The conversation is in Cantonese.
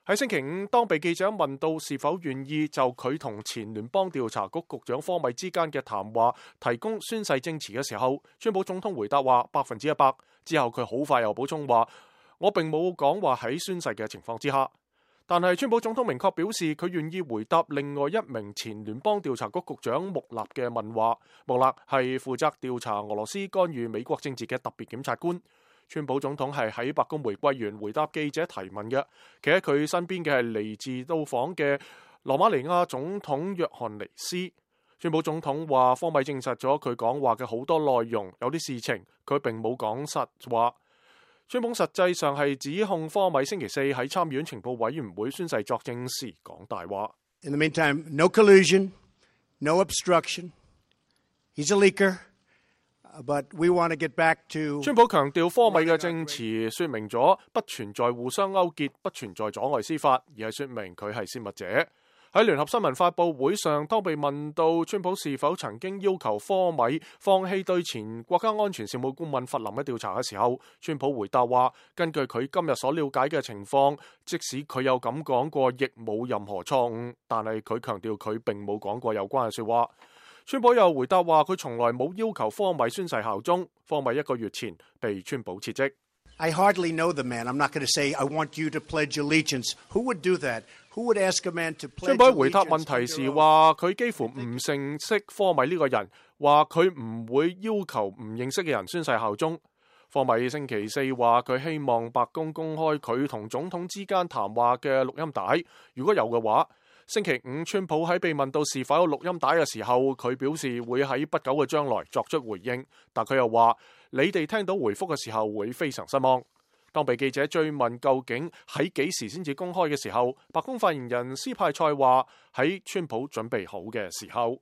喺星期五，當被記者問到是否願意就佢同前聯邦調查局局長科米之間嘅談話提供宣誓證詞嘅時候，川普總統回答話100%。之後佢好快又補充話：我並冇講話喺宣誓嘅情況之下。但係川普總統明確表示，佢願意回答另外一名前聯邦調查局局長穆勒嘅問話。穆勒係負責調查俄羅斯干預美國政治嘅特別檢察官。川普總統係喺白宮玫瑰園回答記者提問嘅，企喺佢身邊嘅係嚟自到訪嘅羅馬尼亞總統約翰尼斯。川普總統話科米證實咗佢講話嘅好多內容，有啲事情佢並冇講實話。川普實際上係指控科米星期四喺參議院情報委員會宣誓作證時講大話。In the meantime, no collusion, no obstruction. He's a leaker.But we want to get back to 川普強調科米嘅證詞說明咗不存在互相勾結，不存在阻礙司法，而係說明佢係泄密者。喺聯合新聞發佈會上，當被問到川普是否曾經要求科米放棄對前國家安全事務顧問弗林嘅調查嘅時候，川普回答話：根據佢今日所了解嘅情況，即使佢有咁講過，亦冇任何錯誤。但係佢強調佢並冇講過有關嘅說話。川普又回答話佢從來冇要求科米宣誓效忠。科米1個月前被川普撤職。I hardly know the man. I'm not going to say I want you to pledge allegiance. Who would do that? Who would ask a man to pledge allegiance? 川普回答問題時話佢幾乎唔認識科米呢個人，話佢唔會要求唔認識嘅人宣誓效忠。科米星期四話佢希望白宮公開佢同總統之間談話嘅錄音帶，如果有嘅話。星期五，川普喺被問到是否有錄音帶嘅時候，佢表示會喺不久嘅將來作出回應，但佢又話：你哋聽到回覆嘅時候會非常失望。當被記者追問究竟喺幾時先至公開嘅時候，白宮發言人斯派塞話：喺川普準備好嘅時候。